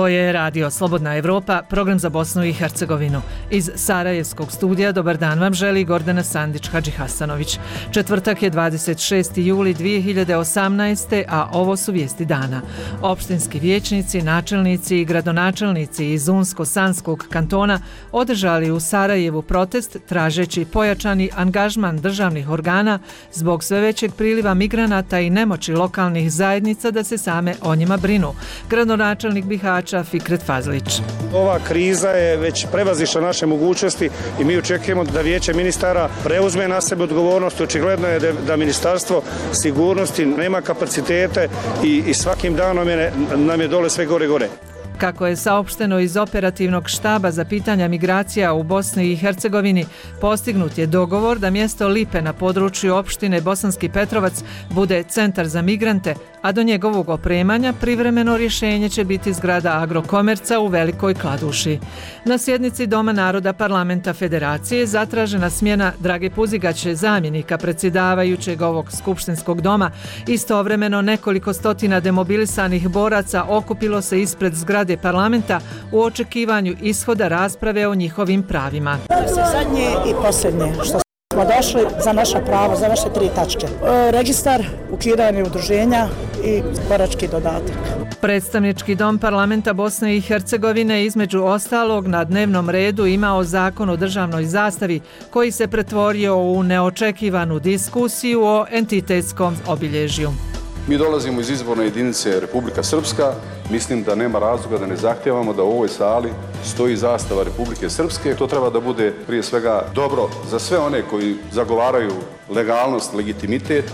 je Radio Slobodna Evropa, program za Bosnu i Hercegovinu. Iz Sarajevskog studija dobar dan vam želi Gordana Sandić-Hadžihasanović. Četvrtak je 26. juli 2018. a ovo su vijesti dana. Opštinski vijećnici, načelnici i gradonačelnici iz Unsko-Sanskog kantona održali u Sarajevu protest tražeći pojačani angažman državnih organa zbog sve većeg priliva migranata i nemoći lokalnih zajednica da se same o njima brinu. Gradonačelnik Bihaća Fikret Fazlić. Ova kriza je već prevazišla naše mogućnosti i mi očekujemo da Vijeće ministara preuzme na sebe odgovornost. Očigledno je da Ministarstvo sigurnosti nema kapacitete i svakim danom nam je dole sve gore. Kako je saopšteno iz operativnog štaba za pitanja migracija u Bosni i Hercegovini, postignut je dogovor da mjesto Lipe na području opštine Bosanski Petrovac bude centar za migrante, a do njegovog opremanja privremeno rješenje će biti zgrada Agrokomerca u Velikoj Kladuši. Na sjednici Doma naroda Parlamenta Federacije zatražena smjena Drage Puzigaće, zamjenika predsjedavajućeg ovog skupštinskog doma. Istovremeno nekoliko stotina demobilisanih boraca okupilo se ispred zgrade parlamenta u očekivanju ishoda rasprave o njihovim pravima. Zadnje i posljednje što smo došli za naša prava, za naše 3 tačke. Registar, ukidanje udruženja i borački dodatak. Predstavnički dom parlamenta Bosne i Hercegovine između ostalog na dnevnom redu imao zakon o državnoj zastavi koji se pretvorio u neočekivanu diskusiju o entitetskom obilježju. Mi dolazimo iz izborne jedinice Republika Srpska. Mislim da nema razloga da ne zahtijevamo da u ovoj sali stoji zastava Republike Srpske. To treba da bude prije svega dobro za sve one koji zagovaraju legalnost, legitimitet.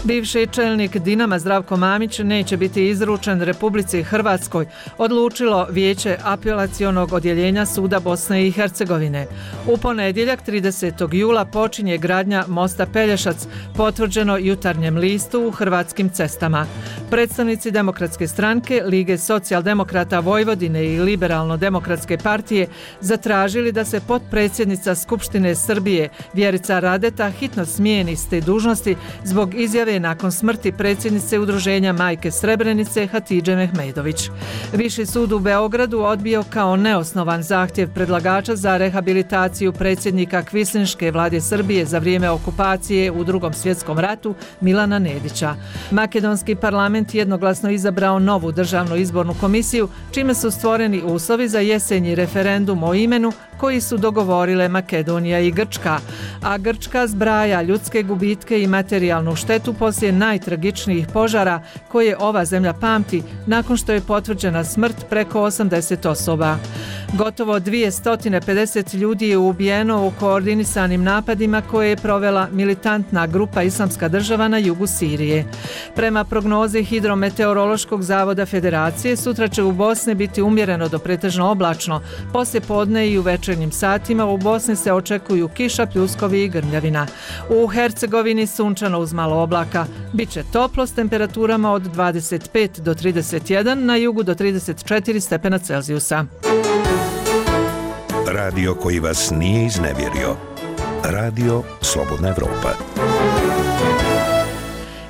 Bivši čelnik Dinama Zdravko Mamić neće biti izručen Republici Hrvatskoj, odlučilo Vijeće apelacionog odjeljenja Suda Bosne i Hercegovine. U ponedjeljak 30. jula počinje gradnja mosta Pelješac, potvrđeno Jutarnjem listu u Hrvatskim cestama. Predstavnici Demokratske stranke, Lige socijaldemokrata Vojvodine i Liberalno-demokratske partije zatražili da se potpredsjednica Skupštine Srbije Vjerica Radeta hitno smijeni s te dužnosti zbog izjave nakon smrti predsjednice udruženja Majke Srebrenice Hatidže Mehmedović. Viši sud u Beogradu odbio kao neosnovan zahtjev predlagača za rehabilitaciju predsjednika Kvislinške vlade Srbije za vrijeme okupacije u Drugom svjetskom ratu Milana Nedića. Makedonski parlament jednoglasno izabrao novu državnu izbornu komisiju, čime su stvoreni uslovi za jesenji referendum o imenu koji su dogovorile Makedonija i Grčka, a Grčka zbraja ljudske gubitke i materijalnu štetu poslije najtragičnijih požara koje ova zemlja pamti nakon što je potvrđena smrt preko 80 osoba. Gotovo 250 ljudi je ubijeno u koordinisanim napadima koje je provela militantna grupa Islamska država na jugu Sirije. Prema prognozi Hidrometeorološkog zavoda Federacije, sutra će u Bosni biti umjereno do pretežno oblačno. Poslije podne i u večernjim satima u Bosni se očekuju kiša, pljuskovi i grmljavina. U Hercegovini sunčano uz malo oblaka. Biće toplo s temperaturama od 25 do 31, na jugu do 34 stepena Celzijusa. Radio koji vas nije iznevjerio. Radio Slobodna Evropa.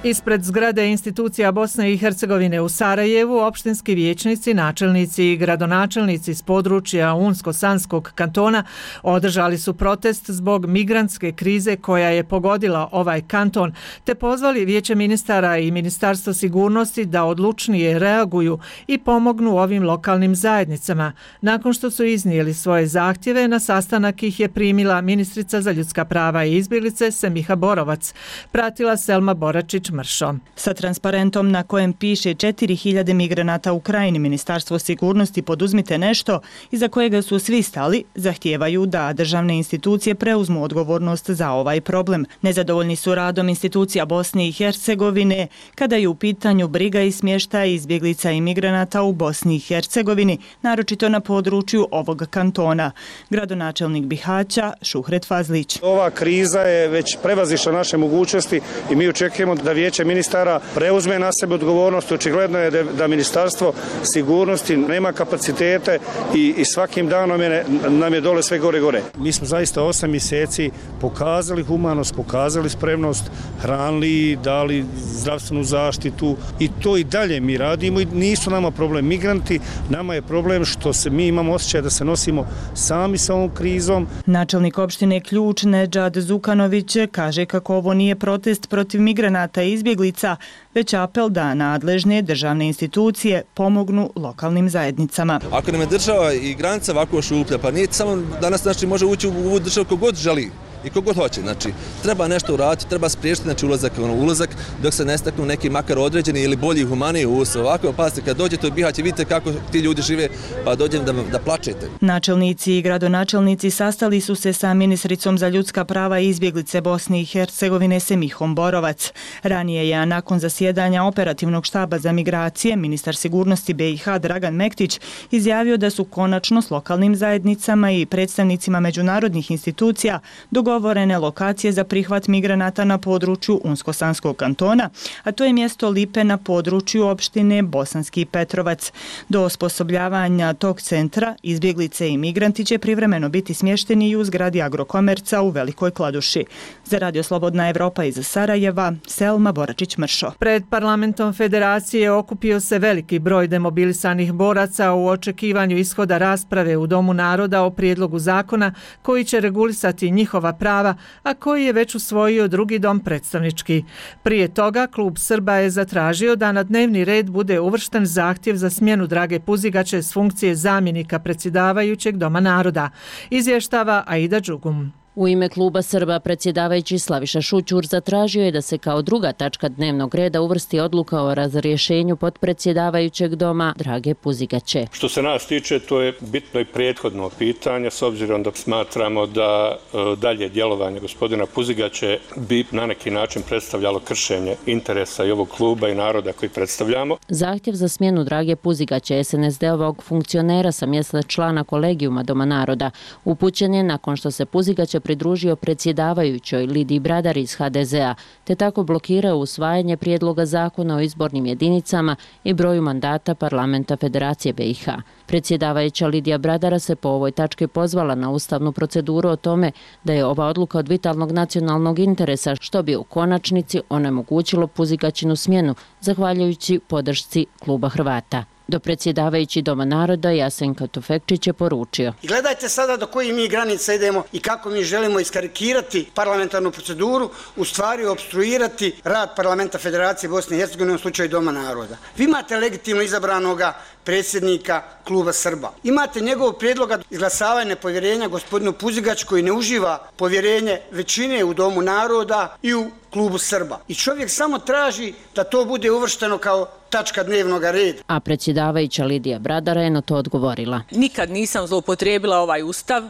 Ispred zgrade institucija Bosne i Hercegovine u Sarajevu opštinski vijećnici, načelnici i gradonačelnici s područja Unsko-Sanskog kantona održali su protest zbog migrantske krize koja je pogodila ovaj kanton, te pozvali Vijeće ministara i Ministarstvo sigurnosti da odlučnije reaguju i pomognu ovim lokalnim zajednicama. Nakon što su iznijeli svoje zahtjeve, na sastanak ih je primila ministrica za ljudska prava i izbjeglice Semiha Borovac. Pratila Selma Boračić Mršo. Sa transparentom na kojem piše 4000 migranata u krajini, Ministarstvo sigurnosti poduzmite nešto iza kojega su svi stali, zahtijevaju da državne institucije preuzmu odgovornost za ovaj problem. Nezadovoljni su radom institucija Bosne i Hercegovine kada je u pitanju briga i smještaj izbjeglica i migranata u Bosni i Hercegovini, naročito na području ovog kantona. Gradonačelnik Bihaća Šuhret Fazlić. Ova kriza je već prevazišla naše mogućnosti i mi očekujemo da vijeće ministara preuzme na sebe odgovornost. Očigledno je da ministarstvo sigurnosti nema kapacitete i svakim danom nam je dole sve gore. Mi smo zaista 8 mjeseci pokazali humanost, pokazali spremnost, hranili, dali zdravstvenu zaštitu i to i dalje mi radimo i nisu nama problem migranti, nama je problem što mi imamo osjećaj da se nosimo sami sa ovom krizom. Načelnik opštine Ključ Nedžad Zukanović kaže kako ovo nije protest protiv migranata i izbjeglica, već apel da nadležne državne institucije pomognu lokalnim zajednicama. Ako nam je država i granica ovako šuplja, pa nije samo danas može ući u državu kogod želi i kogod hoće. Znači, treba nešto uraditi, treba spriječiti ulazak dok se ne staknu neki makar određeni ili bolji humaniji uslov. Ovako, pazite, kad dođete u Bihać i vidite kako ti ljudi žive, pa dođem da plačete. Načelnici i gradonačelnici sastali su se sa ministricom za ljudska prava i izbjeglice Bosne i Hercegovine Semihom Borovac. Ranije je, nakon zasjedanja operativnog štaba za migracije, ministar sigurnosti BiH Dragan Mektić izjavio da su konačno s lokalnim zajednicama i predstavnicima međunarodnih institucija dogovorene lokacije za prihvat migranata na području Unsko-Sanskog kantona, a to je mjesto Lipe na području opštine Bosanski Petrovac. Do osposobljavanja tog centra izbjeglice i migranti će privremeno biti smješteni i u zgradi Agrokomerca u Velikoj Kladuši. Za Radio Slobodna Evropa iz Sarajeva, Selma Boračić-Mršo. Pred parlamentom Federacije okupio se veliki broj demobilisanih boraca u očekivanju ishoda rasprave u Domu naroda o prijedlogu zakona koji će regulisati njihova prava, a koji je već usvojio drugi dom predstavnički. Prije toga Klub Srba je zatražio da na dnevni red bude uvršten zahtjev za smjenu Drage Puzigaće s funkcije zamjenika predsjedavajućeg Doma naroda. Izvještava Aida Đugum. U ime Kluba Srba predsjedavajući Slaviša Šućur zatražio je da se kao druga tačka dnevnog reda uvrsti odluka o razrješenju potpredsjedavajućeg Doma Drage Puzigaće. Što se nas tiče, to je bitno i prethodno pitanje, s obzirom da smatramo da dalje djelovanje gospodina Puzigaće bi na neki način predstavljalo kršenje interesa i ovog kluba i naroda koji predstavljamo. Zahtjev za smjenu Drage Puzigaće, SNSD-ovog funkcionera sa mjesta člana kolegijuma Doma naroda, upućen je nakon što se Puzigaće pridružio predsjedavajućoj Lidiji Bradar iz HDZ-a, te tako blokirao usvajanje prijedloga zakona o izbornim jedinicama i broju mandata parlamenta Federacije BiH. Predsjedavajuća Lidija Bradara se po ovoj tački pozvala na ustavnu proceduru o tome da je ova odluka od vitalnog nacionalnog interesa, što bi u konačnici onemogućilo Puzigaćinu smjenu, zahvaljujući podršci Kluba Hrvata. Do predsjedavajući Doma naroda Jasenka Tufekčić je poručio. I gledajte sada do koji mi granica idemo i kako mi želimo iskarikirati parlamentarnu proceduru, u stvari obstruirati rad parlamenta Federacije Bosne i Hercegovine u slučaju Doma naroda. Vi imate legitimno izabranoga predsjednika Kluba Srba. Imate njegov prijedloga izglasavanja nepovjerenja gospodinu Puzigaću koji ne uživa povjerenje većine u Domu naroda i u Klubu Srba. I čovjek samo traži da to bude uvršteno kao tačka dnevnog reda. A predsjedavajuća Lidija Bradara je na to odgovorila. Nikad nisam zloupotrijebila ovaj ustav,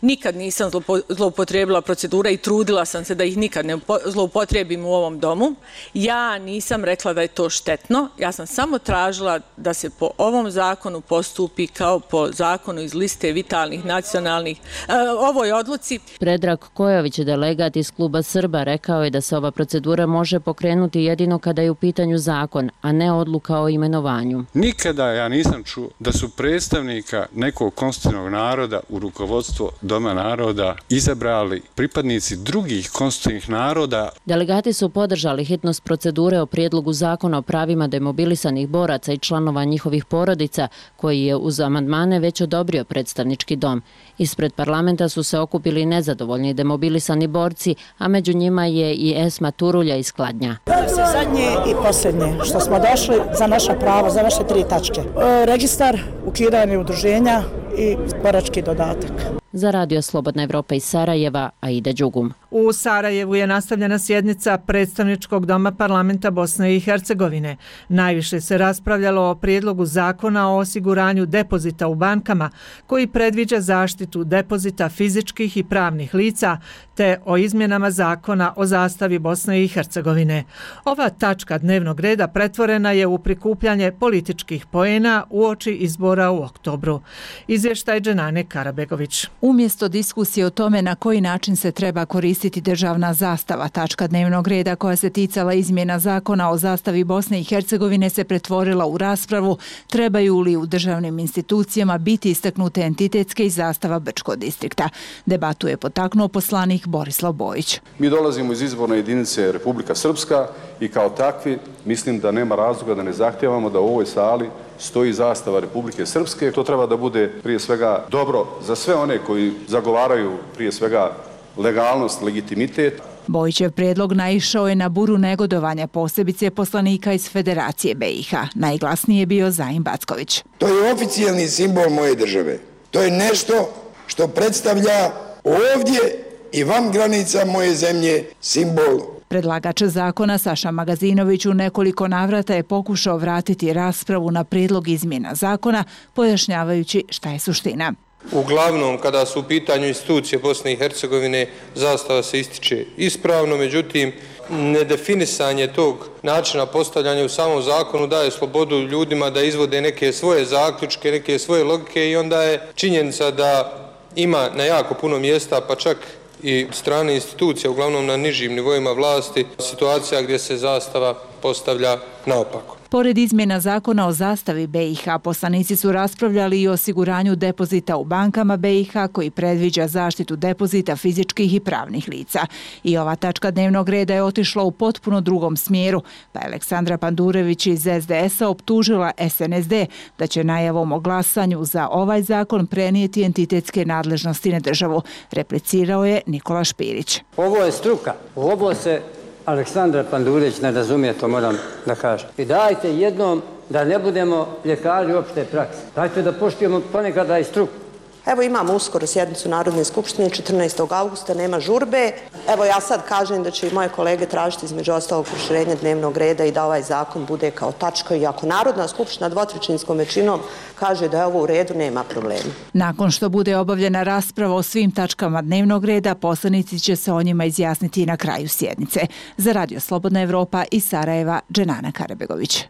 nikad nisam zloupotrijebila procedura i trudila sam se da ih nikad ne zloupotrijebim u ovom domu. Ja nisam rekla da je to štetno, ja sam samo tražila da se po ovom zakonu postupi kao po zakonu iz liste vitalnih nacionalnih, ovoj odluci. Predrag Kojović, delegat iz Kluba Srba, rekao je da se ova procedura može pokrenuti jedino kada je u pitanju zakon, a ne odluka o imenovanju. Nikada ja nisam čuo da su predstavnika nekog konstitutivnog naroda u rukovodstvo Doma naroda izabrali pripadnici drugih konstitutivnih naroda. Delegati su podržali hitnost procedure o prijedlogu zakona o pravima demobilisanih boraca i članova njihovih porodica, koji je uz amandmane već odobrio predstavnički dom. Ispred parlamenta su se okupili nezadovoljni demobilisani borci, a među njima je i Esma Turulja iz Kladnja. Danas je zadnje i posljednje što smo došli za naša prava, za naše 3 tačke. Registar, ukidanje udruženja i borački dodatak. Za Radio Slobodna Evropa iz Sarajeva, Aida Đugum. U Sarajevu je nastavljena sjednica predstavničkog doma parlamenta Bosne i Hercegovine. Najviše se raspravljalo o prijedlogu zakona o osiguranju depozita u bankama, koji predviđa zaštitu depozita fizičkih i pravnih lica, te o izmjenama zakona o zastavi Bosne i Hercegovine. Ova tačka dnevnog reda pretvorena je u prikupljanje političkih poena uoči izbora u oktobru. Iz Izvještaj Dženane Karabegović. Umjesto diskusije o tome na koji način se treba koristiti državna zastava, tačka dnevnog reda koja se ticala izmjena zakona o zastavi Bosne i Hercegovine se pretvorila u raspravu trebaju li u državnim institucijama biti istaknute entitetske i zastava Brčkog distrikta. Debatu je potaknuo poslanik Borislav Bojić. Mi dolazimo iz izborne jedinice Republika Srpska i kao takvi mislim da nema razloga da ne zahtijevamo da u ovoj sali stoji zastava Republike Srpske. To treba da bude prije svega dobro za sve one koji zagovaraju prije svega legalnost, legitimitet. Bojićev prijedlog naišao je na buru negodovanja, posebice poslanika iz Federacije BiH. Najglasniji je bio Zajin Backović. To je oficijalni simbol moje države. To je nešto što predstavlja ovdje i van granica moje zemlje simbol. Predlagač zakona Saša Magazinović u nekoliko navrata je pokušao vratiti raspravu na prijedlog izmjena zakona, pojašnjavajući šta je suština. Uglavnom, kada su u pitanju institucije Bosne i Hercegovine, zastava se ističe ispravno, međutim, nedefinisanje tog načina postavljanja u samom zakonu daje slobodu ljudima da izvode neke svoje zaključke, neke svoje logike i onda je činjenica da ima na jako puno mjesta, pa čak i strane institucije, uglavnom na nižim nivoima vlasti, situacija gdje se zastava postavlja naopako. Pored izmjena zakona o zastavi BiH, poslanici su raspravljali i o osiguranju depozita u bankama BiH koji predviđa zaštitu depozita fizičkih i pravnih lica. I ova tačka dnevnog reda je otišla u potpuno drugom smjeru, pa je Aleksandra Pandurević iz SDS-a optužila SNSD da će najavom o glasanju za ovaj zakon prenijeti entitetske nadležnosti na državu. Replicirao je Nikola Špirić. Ovo je struka, ovo se Aleksandra Pandurević ne razumije, to moram da kažem. I dajte jednom da ne budemo ljekari opšte prakse. Dajte da poštujemo ponekada i struku. Evo imamo uskoro sjednicu Narodne skupštine 14. augusta, nema žurbe. Evo ja sad kažem da će i moje kolege tražiti između ostalog proširenja dnevnog reda i da ovaj zakon bude kao tačka i ako Narodna skupština dvotrećinskom većinom kaže da je ovo u redu, nema problema. Nakon što bude obavljena rasprava o svim tačkama dnevnog reda, poslanici će se o njima izjasniti na kraju sjednice. Za Radio Slobodna Evropa iz Sarajeva, Dženana Karabegović.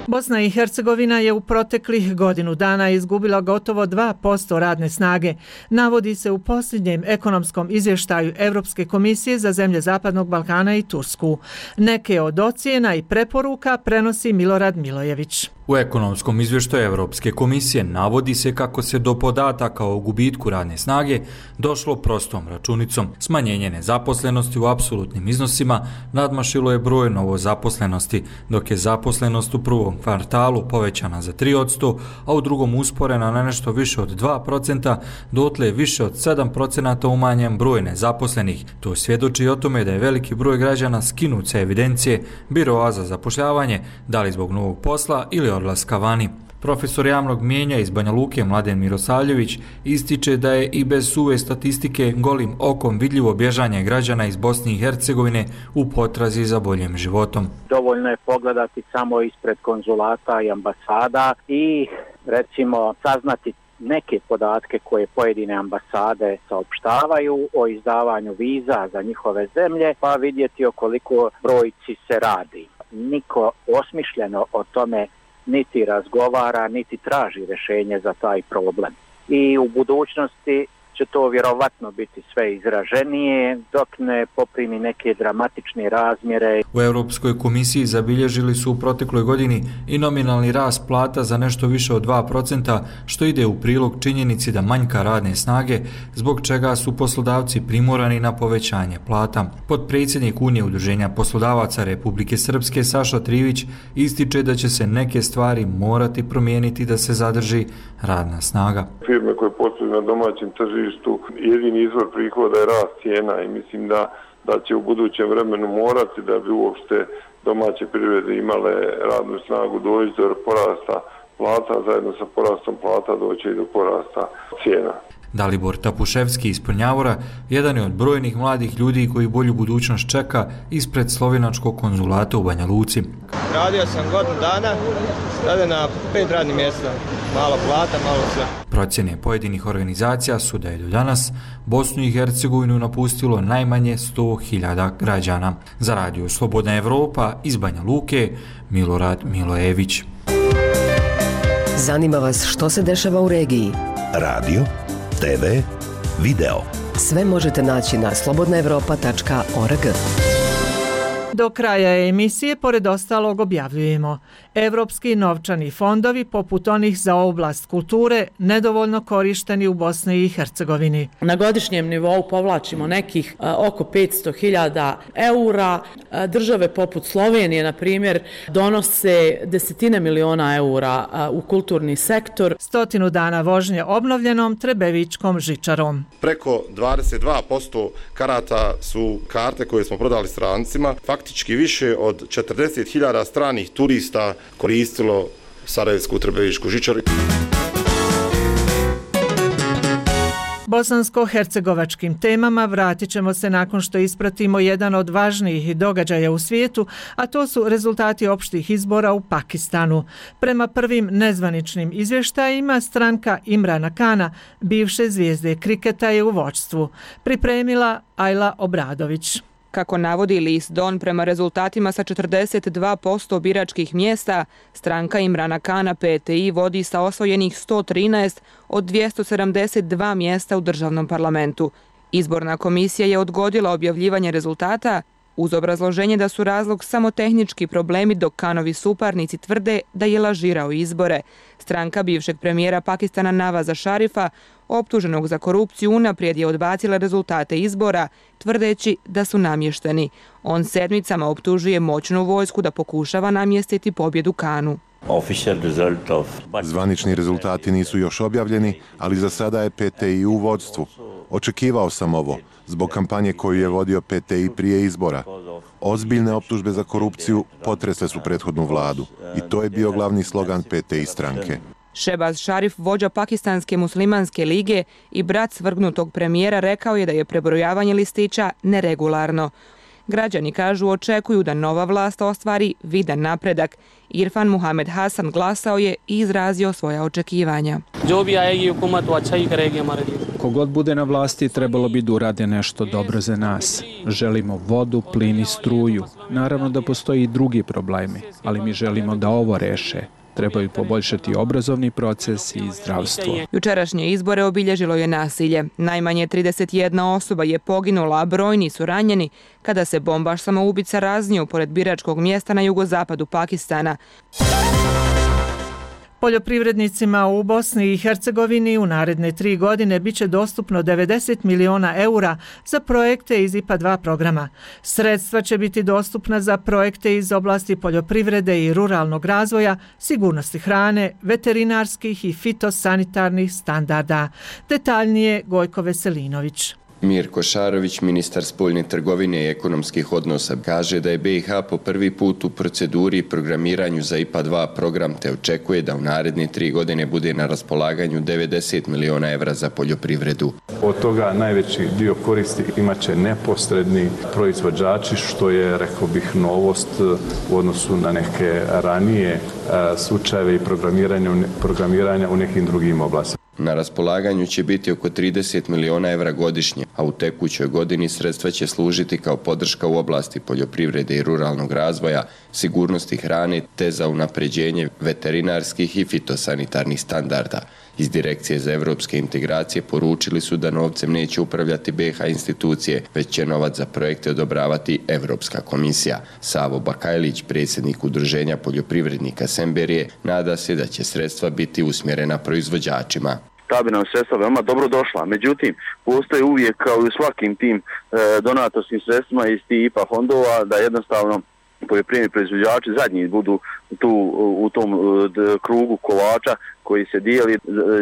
Bosna i Hercegovina je u proteklih godinu dana izgubila gotovo 2% radne snage. Navodi se u posljednjem ekonomskom izvještaju Europske komisije za zemlje Zapadnog Balkana i Tursku. Neke od ocjena i preporuka prenosi Milorad Milojević. U ekonomskom izvještaju Europske komisije navodi se kako se do podataka o gubitku radne snage došlo prostom računicom. Smanjenje nezaposlenosti u apsolutnim iznosima nadmašilo je broj novozaposlenosti, dok je zaposlenost u prvom kvartalu povećana za 3%, a u drugom usporena na nešto više od 2%, dotle je više od 7% umanjen broj nezaposlenih. To svjedoči o tome da je veliki broj građana skinut sa evidencije biroa za zapošljavanje, da li zbog novog posla ili odlaska vani. Profesor javnog mijenja iz Banja Luke Mladen Mirosavljević ističe da je i bez suve statistike golim okom vidljivo bježanje građana iz Bosne i Hercegovine u potrazi za boljim životom. Dovoljno je pogledati samo ispred konzulata i ambasada i recimo saznati neke podatke koje pojedine ambasade saopštavaju o izdavanju viza za njihove zemlje, pa vidjeti o koliko brojci se radi. Niko osmišljeno o tome niti razgovara, niti traži rješenje za taj problem. I u budućnosti će to vjerovatno biti sve izraženije dok ne poprimi neke dramatične razmjere. U Europskoj komisiji zabilježili su u protekloj godini i nominalni rast plata za nešto više od 2%, što ide u prilog činjenici da manjka radne snage, zbog čega su poslodavci primorani na povećanje plata. Potpredsjednik Unije udruženja poslodavaca Republike Srpske Saša Trivić ističe da će se neke stvari morati promijeniti da se zadrži radna snaga. Firme koje posluju na domaćem tržištu, jedini izvor prihoda je rast cijena i mislim da će u budućem vremenu morati da bi uopšte domaće privrede imale radnu snagu doći do porasta plata, zajedno sa porastom plata doći i do porasta cijena. Dalibor Tapuševski iz Prnjavora jedan je od brojnih mladih ljudi koji bolju budućnost čeka ispred slovenačkog konzulata u Banja Luci. Radio sam godinu dana, sada na 5 radnih mjesta, malo plata, malo sve. Procjene pojedinih organizacija su da je do danas Bosnu i Hercegovinu napustilo najmanje 100.000 građana. Za Radio Slobodna Evropa iz Banja Luke, Milorad Milojević. Zanima vas što se dešava u regiji? Radio, TV, video. Sve možete naći na slobodnaevropa.org. Do kraja emisije, pored ostalog, objavljujemo: Evropski novčani fondovi, poput onih za oblast kulture, nedovoljno korišteni u Bosni i Hercegovini. Na godišnjem nivou povlačimo nekih oko 500.000 eura. Države poput Slovenije, na primjer, donose desetine miliona eura u kulturni sektor. 100 dana vožnje obnovljenom Trebevičkom žičarom. Preko 22% karata su karte koje smo prodali strancima. Faktički više od 40.000 stranih turista koristilo Sarajevsku Trebevičku žičaru. Bosansko-hercegovačkim temama vratit ćemo se nakon što ispratimo jedan od važnijih događaja u svijetu, a to su rezultati opštih izbora u Pakistanu. Prema prvim nezvaničnim izvještajima, stranka Imrana Kana, bivše zvijezde kriketa, je u vođstvu. Pripremila Ajla Obradović. Kako navodi list Don, prema rezultatima sa 42% biračkih mjesta, stranka Imrana Kana PTI vodi sa osvojenih 113 od 272 mjesta u državnom parlamentu. Izborna komisija je odgodila objavljivanje rezultata uz obrazloženje da su razlog samo tehnički problemi, dok Kanovi suparnici tvrde da je lažirao izbore. Stranka bivšeg premijera Pakistana Navaza Šarifa, optuženog za korupciju, unaprijed je odbacila rezultate izbora, tvrdeći da su namješteni. On sedmicama optužuje moćnu vojsku da pokušava namjestiti pobjedu Kanu. Zvanični rezultati nisu još objavljeni, ali za sada je PTI u vođstvu. Očekivao sam ovo, zbog kampanje koju je vodio PTI prije izbora. Ozbiljne optužbe za korupciju potresle su prethodnu vladu i to je bio glavni slogan PTI stranke. Šebaz Šarif, vođa Pakistanske muslimanske lige i brat svrgnutog premijera, rekao je da je prebrojavanje listića neregularno. Građani, kažu, očekuju da nova vlast ostvari vidan napredak. Irfan Muhamed Hasan glasao je i izrazio svoja očekivanja. Kogod bude na vlasti, trebalo bi da urade nešto dobro za nas. Želimo vodu, plin i struju. Naravno da postoji i drugi problemi, ali mi želimo da ovo reše. Trebaju poboljšati obrazovni proces i zdravstvo. Jučerašnje izbore obilježilo je nasilje. Najmanje 31 osoba je poginula, a brojni su ranjeni kada se bombaš samoubica raznio pored biračkog mjesta na jugozapadu Pakistana. Poljoprivrednicima u Bosni i Hercegovini u naredne 3 godine biće dostupno 90 miliona eura za projekte iz IPA 2 programa. Sredstva će biti dostupna za projekte iz oblasti poljoprivrede i ruralnog razvoja, sigurnosti hrane, veterinarskih i fitosanitarnih standarda. Detaljnije Gojko Veselinović. Mirko Šarović, ministar spoljne trgovine i ekonomskih odnosa, kaže da je BiH po prvi put u proceduri i programiranju za IPA 2 program, te očekuje da u naredne 3 godine bude na raspolaganju 90 miliona evra za poljoprivredu. Od toga najveći dio koristi imaće neposredni proizvođači, što je, rekao bih, novost u odnosu na neke ranije slučajeve i programiranja u nekim drugim oblastima. Na raspolaganju će biti oko 30 miliona evra godišnje, a u tekućoj godini sredstva će služiti kao podrška u oblasti poljoprivrede i ruralnog razvoja, sigurnosti hrane te za unapređenje veterinarskih i fitosanitarnih standarda. Iz Direkcije za evropske integracije poručili su da novcem neće upravljati BiH institucije, već će novac za projekte odobravati Evropska komisija. Savo Bakajlić, predsjednik Udruženja poljoprivrednika Semberije, nada se da će sredstva biti usmjerena proizvođačima. Ta bi nam sredstva veoma dobro došla. Međutim, postoji uvijek, kao i u svakim tim donatorskim sredstvima iz tih IPA fondova, da jednostavno poljoprivredni proizvođači zadnji budu u tom krugu kolača koji se dijeli,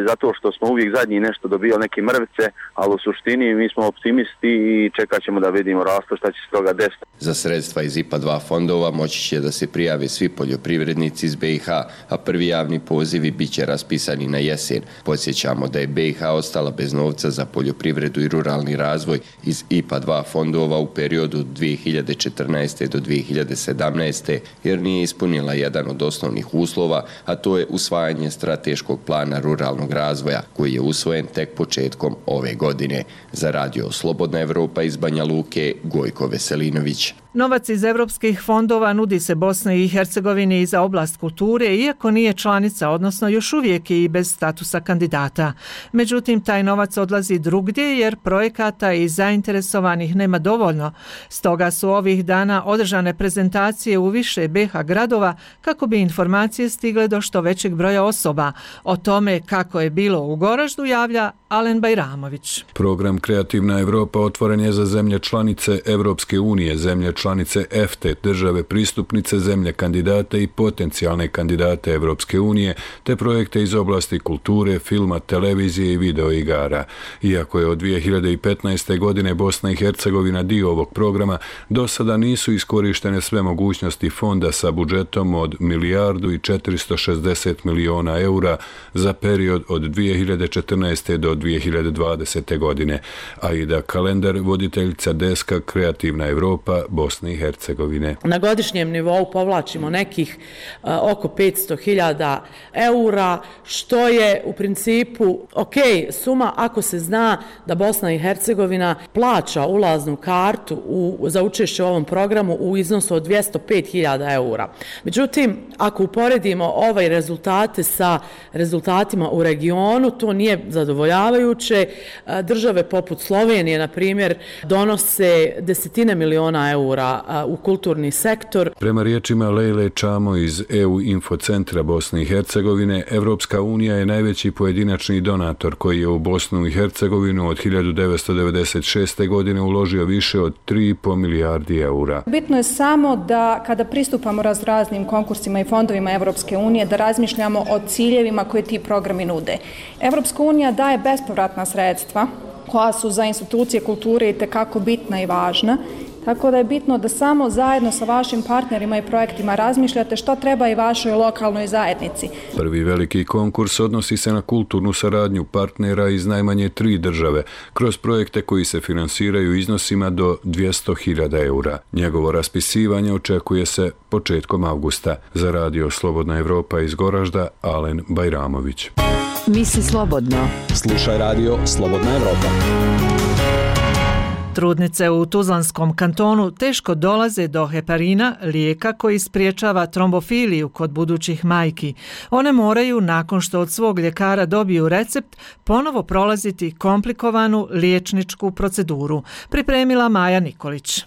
zato što smo uvijek zadnji nešto dobijali neke mrvice, ali u suštini mi smo optimisti i čekat ćemo da vidimo rastu šta će se toga desiti. Za sredstva iz IPA 2 fondova moći će da se prijave svi poljoprivrednici iz BiH, a prvi javni pozivi bit će raspisani na jesen. Podsjećamo da je BiH ostala bez novca za poljoprivredu i ruralni razvoj iz IPA 2 fondova u periodu 2014. do 2017. jer nije ispunila jedan od osnovnih uslova, a to je usvajanje strateškog plana ruralnog razvoja koji je usvojen tek početkom ove godine. Za radio Slobodna Evropa iz Banja Luke, Gojko Veselinović. Novac iz evropskih fondova nudi se Bosni i Hercegovini i za oblast kulture, iako nije članica, odnosno još uvijek je i bez statusa kandidata. Međutim, taj novac odlazi drugdje jer projekata i zainteresovanih nema dovoljno. Stoga su ovih dana održane prezentacije u više BiH gradova kako bi informacije stigle do što većeg broja osoba. O tome kako je bilo u Goraždu javlja Alen Bajramović. Program Kreativna Evropa otvoren je za zemlje članice Evropske unije, zemlje članice EFTE, države pristupnice, zemlje kandidate i potencijalne kandidate Evropske unije, te projekte iz oblasti kulture, filma, televizije i videoigara. Iako je od 2015. godine Bosna i Hercegovina dio ovog programa, do sada nisu iskorištene sve mogućnosti fonda sa budžetom od 1.460 miliona eura za period od 2014. do 2020. godine. Aida Kalendar, voditeljica deska Kreativna Evropa Bosne i Hercegovine. Na godišnjem nivou povlačimo nekih oko 500.000 eura, što je u principu suma ako se zna da Bosna i Hercegovina plaća ulaznu kartu za učešće u ovom programu u iznosu od 205.000 eura. Međutim, ako uporedimo ovaj rezultate sa rezultatima u regionu, to nije zadovoljavajuće. Države poput Slovenije, na primjer, donose desetine miliona eura u kulturni sektor. Prema riječima Lejle Čamo iz EU Infocentra Bosne i Hercegovine, Evropska unija je najveći pojedinačni donator koji je u Bosnu i Hercegovinu od 1996. godine uložio više od 3,5 milijardi eura. Bitno je samo da kada pristupamo raznim konkursima i fondovima Evropske unije da razmišljamo o ciljevima koje ti programi nude. Evropska unija daje bespovratna sredstva koja su za institucije kulture itekako bitna i važna. Tako da je bitno da samo zajedno sa vašim partnerima i projektima razmišljate što treba i vašoj lokalnoj zajednici. Prvi veliki konkurs odnosi se na kulturnu saradnju partnera iz najmanje 3 države, kroz projekte koji se finansiraju iznosima do 200.000 eura. Njegovo raspisivanje očekuje se početkom avgusta. Za radio Slobodna Evropa iz Goražda, Alen Bajramović. Misli slobodno. Slušaj radio Slobodna Evropa. Trudnice u Tuzlanskom kantonu teško dolaze do heparina, lijeka koji spriječava trombofiliju kod budućih majki. One moraju, nakon što od svog ljekara dobiju recept, ponovo prolaziti komplikovanu liječničku proceduru. Pripremila Maja Nikolić.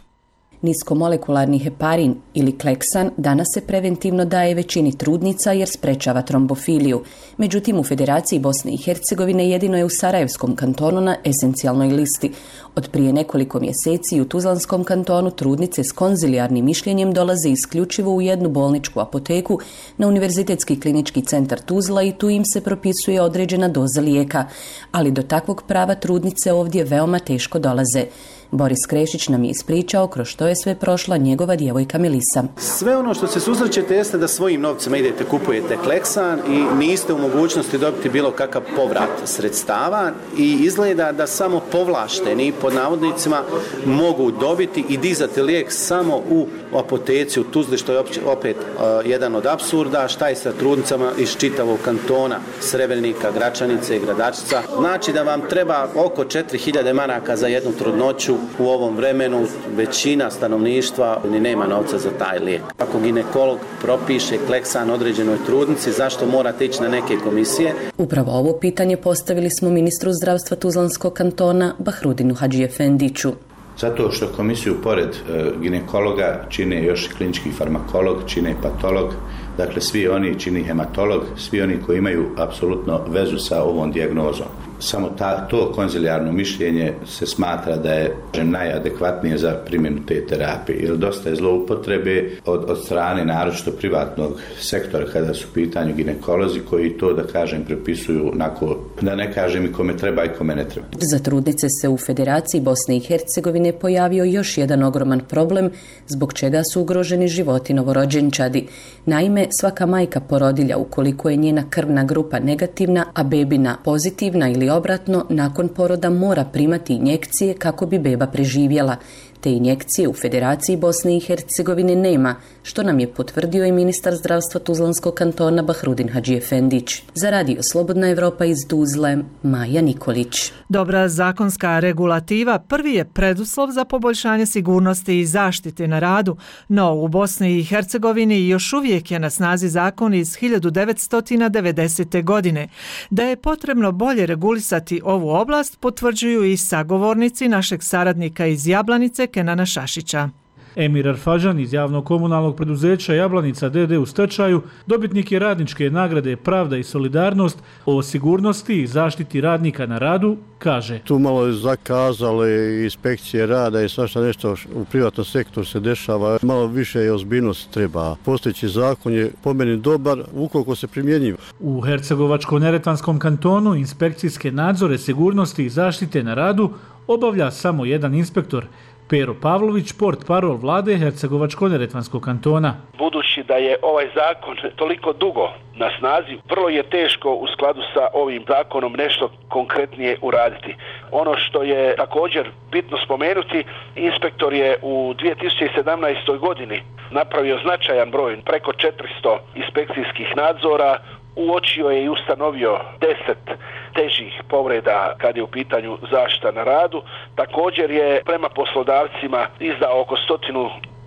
Niskomolekularni heparin ili kleksan danas se preventivno daje većini trudnica jer sprečava trombofiliju. Međutim, u Federaciji Bosne i Hercegovine jedino je u Sarajevskom kantonu na esencijalnoj listi. Od prije nekoliko mjeseci u Tuzlanskom kantonu trudnice s konzilijarnim mišljenjem dolaze isključivo u jednu bolničku apoteku na Univerzitetski klinički centar Tuzla i tu im se propisuje određena doza lijeka. Ali do takvog prava trudnice ovdje veoma teško dolaze. Boris Krešić nam je ispričao kroz što je sve prošla njegova djevojka Melisa. Sve ono što se susrećete jeste da svojim novcima idete, kupujete kleksan i niste u mogućnosti dobiti bilo kakav povrat sredstava i izgleda da samo povlašteni pod navodnicima mogu dobiti i dizati lijek samo u apoteci u Tuzli, što je opet jedan od apsurda. Šta je sa trudnicama iz čitavog kantona, Srebrnika, Gračanice i Gradačica? Znači da vam treba oko 4.000 maraka za jednu trudnoću. U ovom vremenu većina stanovništva ni nema novca za taj lijek. Ako ginekolog propiše kleksan određenoj trudnici, zašto morate ići na neke komisije? Upravo ovo pitanje postavili smo ministru zdravstva Tuzlanskog kantona Bahrudinu Hadžiefendiću. Zato što komisiju pored ginekologa čine još klinički farmakolog, čine patolog, dakle svi oni čini hematolog, svi oni koji imaju apsolutno vezu sa ovom dijagnozom. Samo to konzilijarno mišljenje se smatra da je najadekvatnije za primjenu te terapije. Jer dosta je zloupotrebe od strane naročito privatnog sektora kada su u pitanju ginekolozi koji to, da kažem, prepisuju onako, da ne kažem i kome treba i kome ne treba. Za trudnice se u Federaciji Bosne i Hercegovine pojavio još jedan ogroman problem zbog čega su ugroženi životi novorođenčadi. Naime, svaka majka porodilja ukoliko je njena krvna grupa negativna, a bebina pozitivna ili obratno, nakon poroda mora primati injekcije kako bi beba preživjela. Te injekcije u Federaciji Bosne i Hercegovine nema, što nam je potvrdio i ministar zdravstva Tuzlanskog kantona Bahrudin Hadžiefendić. Za Radio Slobodna Evropa iz Tuzle, Maja Nikolić. Dobra zakonska regulativa prvi je preduslov za poboljšanje sigurnosti i zaštite na radu, no u Bosni i Hercegovini još uvijek je na snazi zakon iz 1990. godine. Da je potrebno bolje regulisati ovu oblast potvrđuju i sagovornici našeg saradnika iz Jablanice Kenana Šašića. Emir Arfažan iz javnog komunalnog preduzeća Jablanica d.d. u stečaju dobitnik je radničke nagrade Pravda i solidarnost o sigurnosti i zaštiti radnika na radu, kaže. Tu malo je zakazale inspekcije rada i svašta nešto u privatnom sektoru se dešava. Malo više je ozbiljnost treba. Postojeći zakon je po meni dobar ukoliko se primjenjiva. U Hercegovačko-Neretvanskom kantonu inspekcijske nadzore sigurnosti i zaštite na radu obavlja samo jedan inspektor. Pero Pavlović, portparol vlade Hercegovačko-Neretvanskog kantona. Budući da je ovaj zakon toliko dugo na snazi, vrlo je teško u skladu sa ovim zakonom nešto konkretnije uraditi. Ono što je također bitno spomenuti, inspektor je u 2017. godini napravio značajan broj, preko 400 inspekcijskih nadzora, uočio je i ustanovio 10 težih povreda kad je u pitanju zaštita na radu. Također je prema poslodavcima izdao oko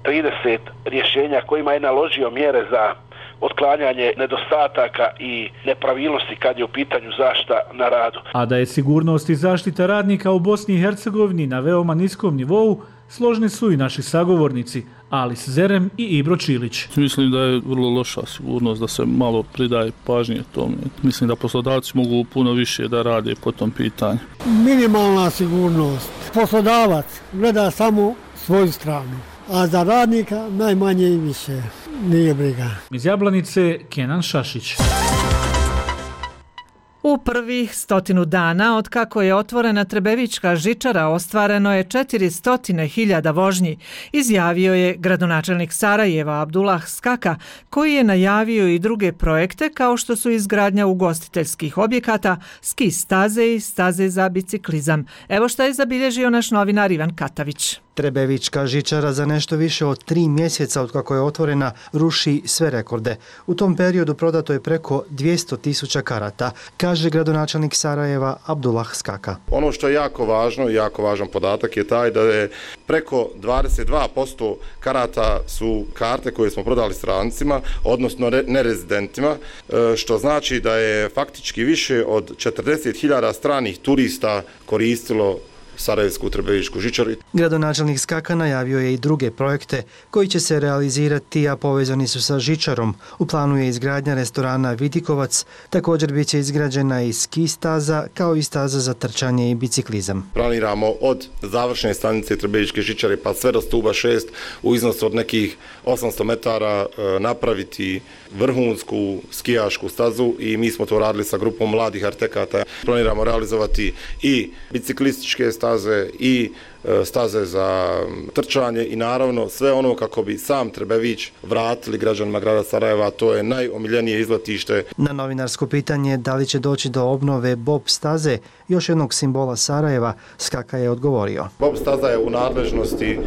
130 rješenja kojima je naložio mjere za otklanjanje nedostataka i nepravilnosti kad je u pitanju zaštita na radu. A da je sigurnost i zaštita radnika u Bosni i Hercegovini na veoma niskom nivou, složni su i naši sagovornici Alis Zerem i Ibro Čilić. Mislim da je vrlo loša sigurnost, da se malo pridaje pažnje tome. Mislim da poslodavci mogu puno više da rade po tom pitanju. Minimalna sigurnost. Poslodavac gleda samo svoju stranu, a za radnika najmanje i više. Nije briga. Iz Jablanice, Kenan Šašić. U prvih 100 dana od kako je otvorena Trebevička žičara ostvareno je 400.000 vožnji, izjavio je gradonačelnik Sarajeva Abdullah Skaka, koji je najavio i druge projekte kao što su izgradnja ugostiteljskih objekata, ski staze i staze za biciklizam. Evo šta je zabilježio naš novinar Ivan Katavić. Trebevička žičara za nešto više od 3 mjeseca od kako je otvorena ruši sve rekorde. U tom periodu prodato je preko 200.000 karata, kaže gradonačelnik Sarajeva Abdullah Skaka. Ono što je jako važno, jako važan podatak je taj da je preko 22% karata su karte koje smo prodali strancima, odnosno nerezidentima, što znači da je faktički više od 40.000 stranih turista koristilo Sarajevsku Trebevičku žičaru. Gradonačelnik Skaka najavio je i druge projekte koji će se realizirati, a povezani su sa žičarom. U planu je izgradnja restorana Vidikovac, također bit će izgrađena i ski staza, kao i staza za trčanje i biciklizam. Planiramo od završne stanice Trebevičke žičare pa sve do stuba 6 u iznosu od nekih 800 metara napraviti vrhunsku skijašku stazu i mi smo to radili sa grupom mladih arhitekata. Planiramo realizovati i biciklističke staze i staze za trčanje i naravno sve ono kako bi sam Trebević vratili građanima grada Sarajeva, to je najomiljenije izletište. Na novinarsko pitanje da li će doći do obnove Bob staze, još jednog simbola Sarajeva, Skaka je odgovorio. Bob staza je u nadležnosti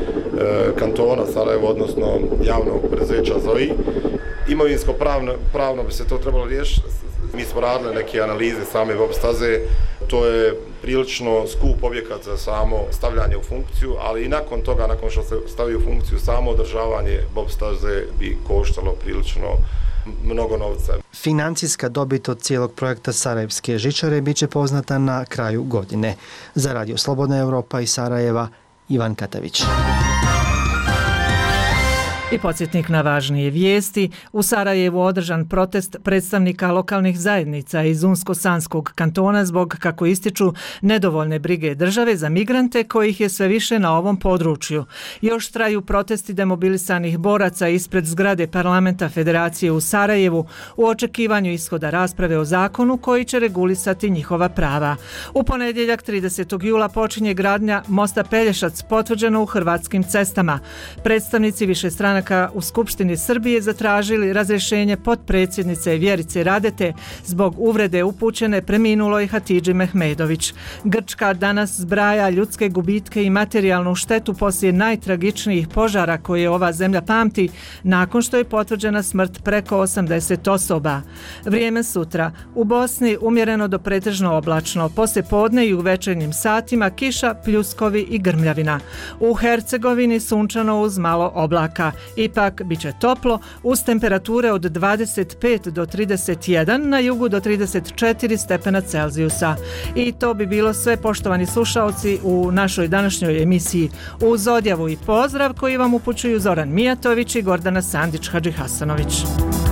kantona Sarajevo, odnosno javnog preduzeća ZOI. Imovinsko pravno bi se to trebalo riješiti. Mi smo radili neke analize same Bob staze, to je prilično skup objekat za samo stavljanje u funkciju, ali i nakon toga, nakon što se stavi u funkciju, samo održavanje Bob staze bi koštalo prilično mnogo novca. Financijska dobit od cijelog projekta Sarajevske žičare bit će poznata na kraju godine. Za Radio Slobodna Evropa iz Sarajeva, Ivan Katavić. I podsjetnik na važnije vijesti. U Sarajevu održan protest predstavnika lokalnih zajednica iz Unsko-Sanskog kantona zbog, kako ističu, nedovoljne brige države za migrante kojih je sve više na ovom području. Još traju protesti demobilisanih boraca ispred zgrade parlamenta Federacije u Sarajevu u očekivanju ishoda rasprave o zakonu koji će regulisati njihova prava. U ponedjeljak 30. jula počinje gradnja mosta Pelješac, potvrđeno u hrvatskim cestama. Predstavnici višestranačkih stranaka u Skupštini Srbije zatražili razrješenje potpredsjednice Vjerice Radete zbog uvrede upućene preminuloj Hatidži Mehmedović. Grčka danas zbraja ljudske gubitke i materijalnu štetu poslije najtragičnijih požara koje ova zemlja pamti nakon što je potvrđena smrt preko 80 osoba. Vrijeme sutra. U Bosni umjereno do pretežno oblačno, poslije podne i u večernjim satima kiša, pljuskovi i grmljavina. U Hercegovini sunčano uz malo oblaka. Ipak bit će toplo uz temperature od 25 do 31, na jugu do 34 stepena Celzijusa. I to bi bilo sve, poštovani slušaoci, u našoj današnjoj emisiji. Uz odjavu i pozdrav koji vam upućuju Zoran Mijatović i Gordana Sandić-Hadžihasanović.